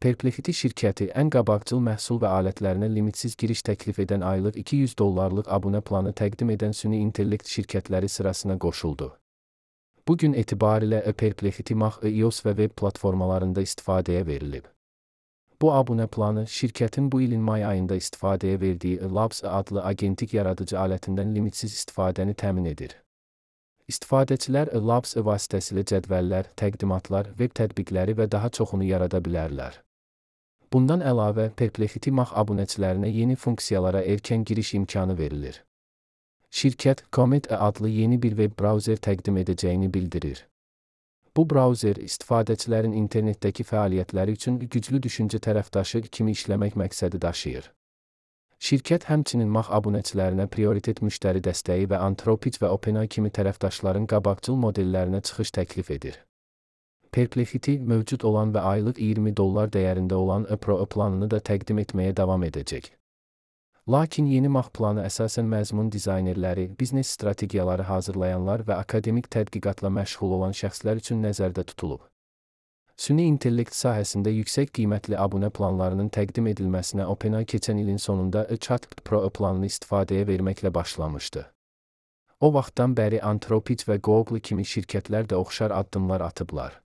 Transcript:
Perplexity şirkəti ən qabaqcıl məhsul və alətlərinə limitsiz giriş təklif edən aylıq $200 abunə planı təqdim edən süni intellekt şirkətləri sırasına qoşuldu. Bu gün etibarilə Perplexity Mac, iOS və web platformalarında istifadəyə verilib. Bu abunə planı şirkətin bu ilin may ayında istifadəyə verdiyi Labs adlı agentik yaradıcı alətindən limitsiz istifadəni təmin edir. İstifadəçilər Labs vasitəsilə cədvəllər, təqdimatlar, web tətbiqləri və daha çoxunu yarada bilərlər. Bundan əlavə, Perplexity Mac abunəçilərinə yeni funksiyalara erkən giriş imkanı verilir. Şirkət, Comet adlı yeni bir web brauzer təqdim edəcəyini bildirir. Bu brauzer, istifadəçilərin internetdəki fəaliyyətləri üçün güclü düşüncə tərəfdaşı kimi işləmək məqsədi daşıyır. Şirkət həmçinin Mac abunəçilərinə prioritet müştəri dəstəyi və Anthropic və OpenAI kimi tərəfdaşların qabaqcıl modellərinə çıxış təklif edir. Perplexity mövcud olan və aylıq $20 dəyərində olan Pro planını da təqdim etməyə davam edəcək. Lakin yeni Mac planı əsasən məzmun dizaynerləri, biznes strategiyaları hazırlayanlar və akademik tədqiqatla məşğul olan şəxslər üçün nəzərdə tutulub. Süni intellekt sahəsində yüksək qiymətli abunə planlarının təqdim edilməsinə OpenAI keçən ilin sonunda ChatGPT Pro planını istifadəyə verməklə başlamışdı. O vaxtdan bəri Anthropic və Google kimi şirkətlər də oxşar addımlar atıblar.